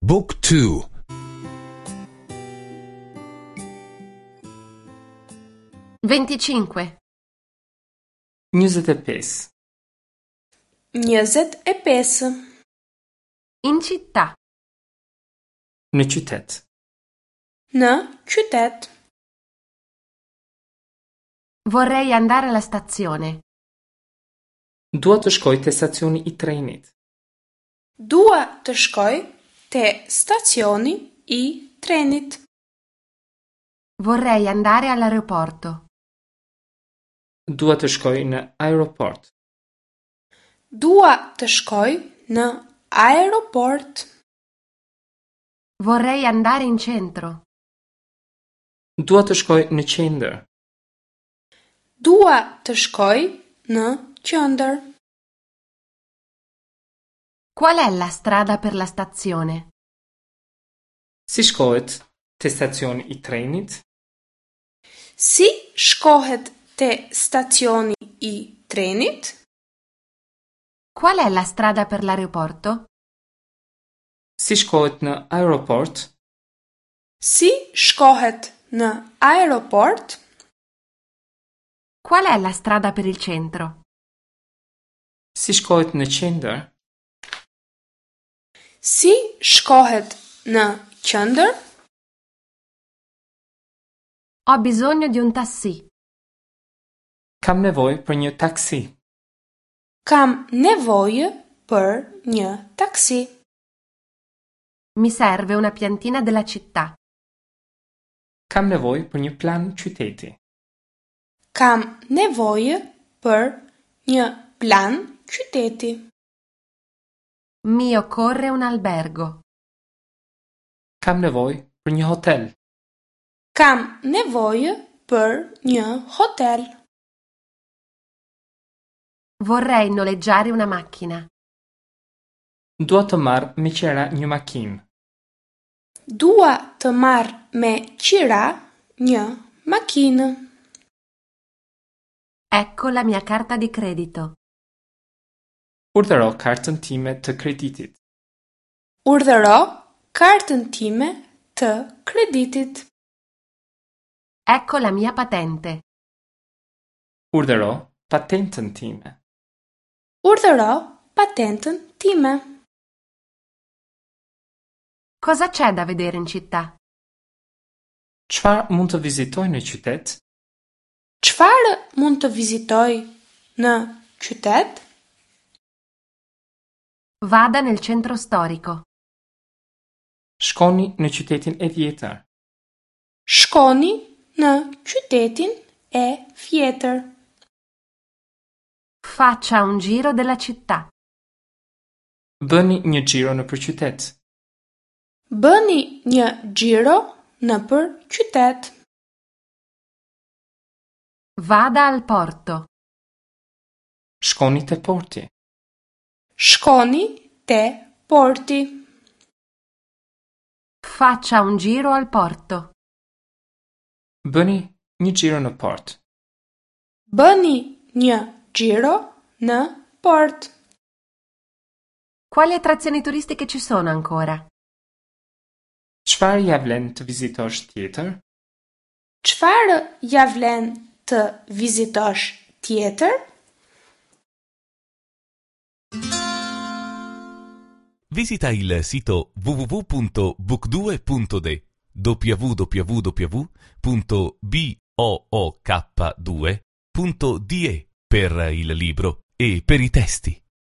Book 2 25. 25. 25. In città. Në qytet. Në qytet. Vorrei andare alla stazione. Dua të shkoj te stacioni i trenit. Dua të shkoj te stacioni i trenit. Vorrei andare all'aeroporto. Dua të shkoj në aeroport. Dua të shkoj në aeroport. Vorrei andare in centro. Dua të shkoj në qendër. Dua të shkoj në qendër. Qual è la strada per la stazione? Si shkohet te stacioni i trenit? Si shkohet te stacioni i trenit? Qual è la strada per l'aeroporto? Si shkohet në aeroport? Si shkohet në aeroport? Qual è la strada per il centro? Si shkohet në qendër? Si shkohet në qendër? Ho bisogno di un tassì. Kam nevojë për një taksi. Kam nevojë për një taksi. Mi serve una piantina della città. Kam nevojë për një plan qyteti. Kam nevojë për një plan qyteti. Mi occorre un albergo. Kam nevojë për një hotel. Kam nevojë për një hotel. Vorrei noleggiare una macchina. Dua të marr me qera një makinë. Dua të marr me qira një makinë. Ecco la mia carta di credito. Urdhëro kartën time të kreditit. Urdhëro kartën time të kreditit. Ecco la mia patente. Urdhëro patentën time. Urdhëro patentën time. Cosa c'è da vedere in città? Çfarë mund të vizitoj në qytet? Çfarë mund të vizitoj në qytet? Vada nel centro storico. Shkoni në qytetin e vjetër. Shkoni në qytetin e vjetër. Faccia un giro della città. Bëni një xhiro nëpër qytet. Bëni një xhiro nëpër qytet. Vada al porto. Shkoni te porti. Shkoni te porti. Faccia un giro al porto. Bëni një xhiro në port. Bëni një xhiro në port. Quali attrazioni turistiche ci sono ancora? Çfarë ja vlen të vizitosh tjetër? Çfarë ja vlen të vizitosh tjetër? Visita il sito www.book2.de www.book2.de per il libro e per i testi.